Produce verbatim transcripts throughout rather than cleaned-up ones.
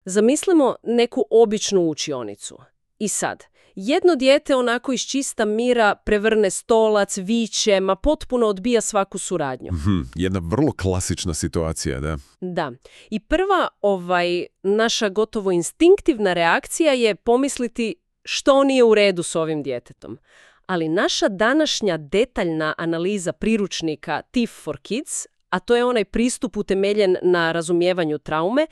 Zamislimo neku običnu učionicu. I sad, jedno dijete onako iz čista mira prevrne stolac, viče, ma potpuno odbija svaku suradnju. Mhm, jedna vrlo klasična situacija, da. Da. I prva ovaj, naša gotovo instinktivna reakcija je pomisliti što nije u redu s ovim djetetom. Ali naša današnja detaljna analiza priručnika T I F for Kids, a to je onaj pristup utemeljen na razumijevanju traume,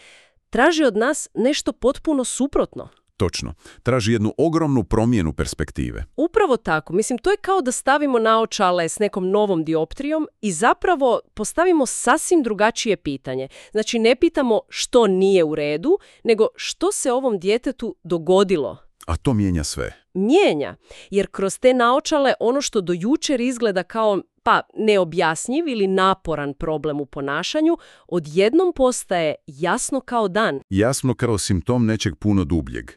traži od nas nešto potpuno suprotno. Točno. Traži jednu ogromnu promjenu perspektive. Upravo tako. Mislim, to je kao da stavimo naočale s nekom novom dioptrijom i zapravo postavimo sasvim drugačije pitanje. Znači, ne pitamo što nije u redu, nego što se ovom djetetu dogodilo. A to mijenja sve. Mijenja, jer kroz te naočale ono što do jučer izgleda kao pa neobjasnjiv ili naporan problem u ponašanju, odjednom postaje jasno kao dan. Jasno kao simptom nečeg puno dubljeg.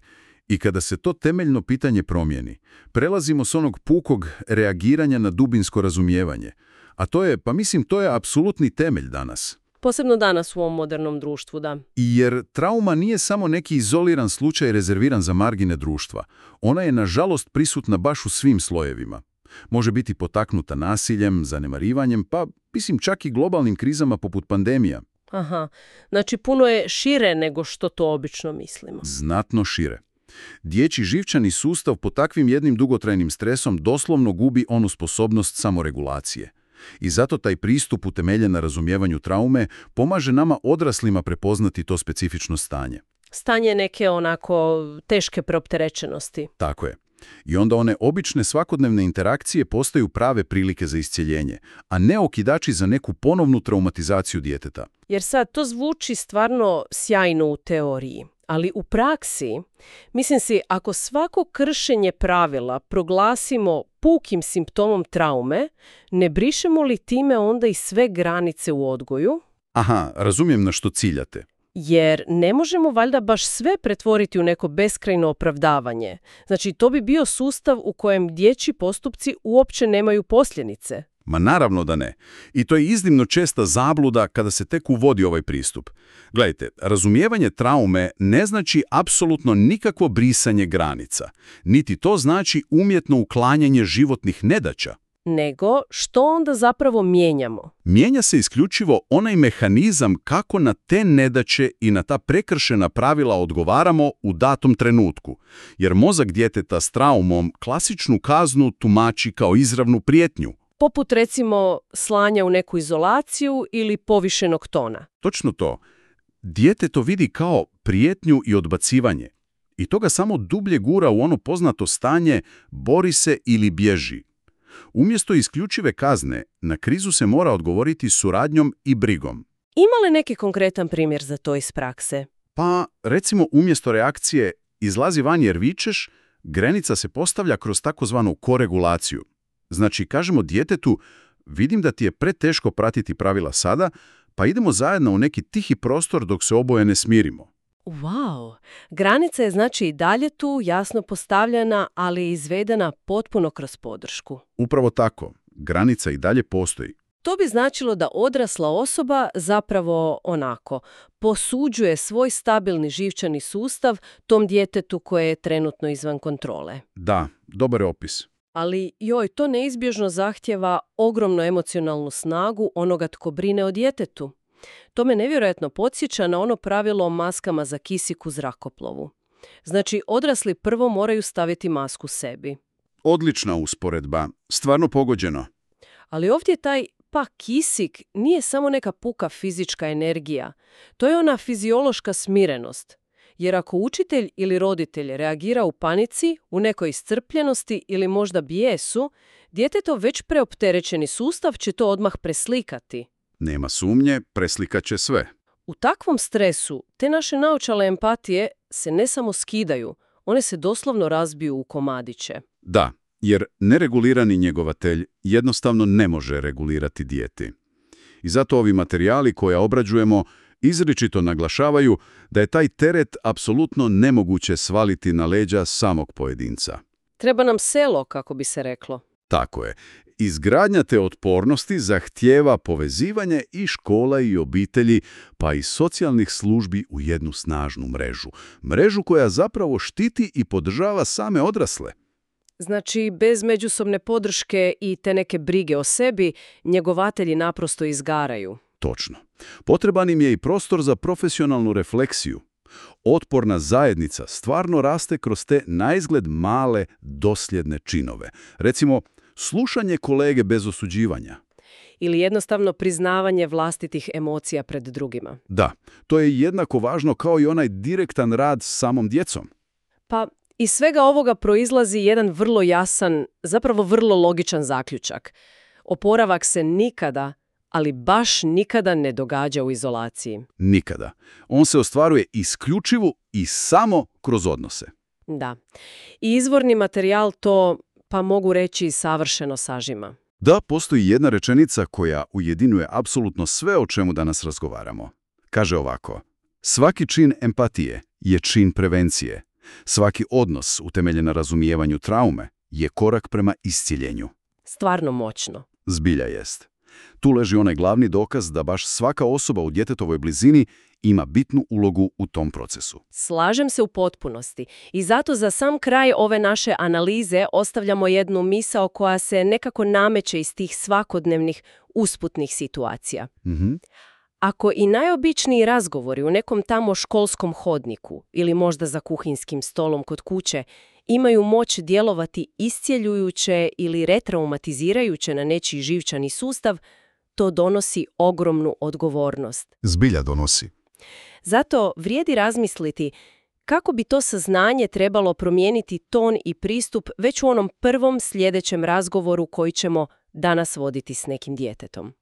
I kada se to temeljno pitanje promijeni, prelazimo s onog pukog reagiranja na dubinsko razumijevanje. A to je, pa mislim, to je apsolutni temelj danas. Posebno danas u ovom modernom društvu, da. Jer trauma nije samo neki izoliran slučaj rezerviran za margine društva. Ona je, nažalost, prisutna baš u svim slojevima. Može biti potaknuta nasiljem, zanemarivanjem, pa, mislim, čak i globalnim krizama poput pandemija. Aha, znači puno je šire nego što to obično mislimo. Znatno šire. Dječji živčani sustav pod takvim jednim dugotrajnim stresom doslovno gubi onu sposobnost samoregulacije. I zato taj pristup utemeljen na razumijevanju traume pomaže nama odraslima prepoznati to specifično stanje. Stanje neke onako teške preopterećenosti. Tako je. I onda one obične svakodnevne interakcije postaju prave prilike za iscjeljenje, a ne okidači za neku ponovnu traumatizaciju djeteta. Jer sad to zvuči stvarno sjajno u teoriji, ali u praksi, mislim si, ako svako kršenje pravila proglasimo pukim simptomom traume, ne brišemo li time onda i sve granice u odgoju? Aha, razumijem na što ciljate. Jer ne možemo valjda baš sve pretvoriti u neko beskrajno opravdavanje. Znači, to bi bio sustav u kojem dječji postupci uopće nemaju posljedice. Ma naravno da ne. I to je iznimno česta zabluda kada se tek uvodi ovaj pristup. Gledajte, razumijevanje traume ne znači apsolutno nikakvo brisanje granica. Niti to znači umjetno uklanjanje životnih nedaća. Nego, što onda zapravo mijenjamo? Mijenja se isključivo onaj mehanizam kako na te nedaće i na ta prekršena pravila odgovaramo u datom trenutku. Jer mozak djeteta s traumom klasičnu kaznu tumači kao izravnu prijetnju. Poput recimo slanja u neku izolaciju ili povišenog tona. Točno to. Dijete to vidi kao prijetnju i odbacivanje. I to ga samo dublje gura u ono poznato stanje bori se ili bježi. Umjesto isključive kazne, na krizu se mora odgovoriti suradnjom i brigom. Ima li neki konkretan primjer za to iz prakse? Pa, recimo, umjesto reakcije izlazi van jer vičeš, granica se postavlja kroz takozvanu koregulaciju. Znači, kažemo djetetu, vidim da ti je preteško pratiti pravila sada, pa idemo zajedno u neki tihi prostor dok se oboje ne smirimo. Wow! Granica je znači i dalje tu, jasno postavljena, ali izvedena potpuno kroz podršku. Upravo tako. Granica i dalje postoji. To bi značilo da odrasla osoba zapravo onako posuđuje svoj stabilni živčani sustav tom djetetu koje je trenutno izvan kontrole. Da, dobar je opis. Ali joj, to neizbježno zahtjeva ogromnu emocionalnu snagu onoga tko brine o djetetu. To me nevjerojatno podsjeća na ono pravilo o maskama za kisik u zrakoplovu. Znači, odrasli prvo moraju staviti masku sebi. Odlična usporedba. Stvarno pogođeno. Ali ovdje taj pa kisik nije samo neka puka fizička energija. To je ona fiziološka smirenost. Jer ako učitelj ili roditelj reagira u panici, u nekoj iscrpljenosti ili možda bijesu, djetetov već preopterećeni sustav će to odmah preslikati. Nema sumnje, preslikat će sve. U takvom stresu te naše naočale empatije se ne samo skidaju, one se doslovno razbiju u komadiće. Da, jer neregulirani njegovatelj jednostavno ne može regulirati dijete. I zato ovi materijali koje obrađujemo izričito naglašavaju da je taj teret apsolutno nemoguće svaliti na leđa samog pojedinca. Treba nam selo, kako bi se reklo. Tako je. Izgradnja te otpornosti zahtijeva povezivanje i škola i obitelji, pa i socijalnih službi u jednu snažnu mrežu. Mrežu koja zapravo štiti i podržava same odrasle. Znači, bez međusobne podrške i te neke brige o sebi, njegovatelji naprosto izgaraju. Točno. Potreban im je i prostor za profesionalnu refleksiju. Otporna zajednica stvarno raste kroz te naizgled male, dosljedne činove. Recimo, slušanje kolege bez osuđivanja. Ili jednostavno priznavanje vlastitih emocija pred drugima. Da, to je jednako važno kao i onaj direktan rad s samom djecom. Pa iz svega ovoga proizlazi jedan vrlo jasan, zapravo vrlo logičan zaključak. Oporavak se nikada, ali baš nikada ne događa u izolaciji. Nikada. On se ostvaruje isključivo i samo kroz odnose. Da. I izvorni materijal to, pa mogu reći, savršeno sažima. Da, postoji jedna rečenica koja ujedinjuje apsolutno sve o čemu danas razgovaramo. Kaže ovako: svaki čin empatije je čin prevencije. Svaki odnos utemeljen na razumijevanju traume je korak prema isciljenju. Stvarno moćno. Zbilja jest. Tu leži onaj glavni dokaz da baš svaka osoba u djetetovoj blizini ima bitnu ulogu u tom procesu. Slažem se u potpunosti. I zato za sam kraj ove naše analize ostavljamo jednu misao koja se nekako nameće iz tih svakodnevnih usputnih situacija. Mhm. Ako i najobičniji razgovori u nekom tamo školskom hodniku ili možda za kuhinskim stolom kod kuće imaju moć djelovati iscjeljujuće ili retraumatizirajuće na nečiji živčani sustav, to donosi ogromnu odgovornost. Zbilja donosi. Zato vrijedi razmisliti kako bi to saznanje trebalo promijeniti ton i pristup već u onom prvom sljedećem razgovoru koji ćemo danas voditi s nekim djetetom.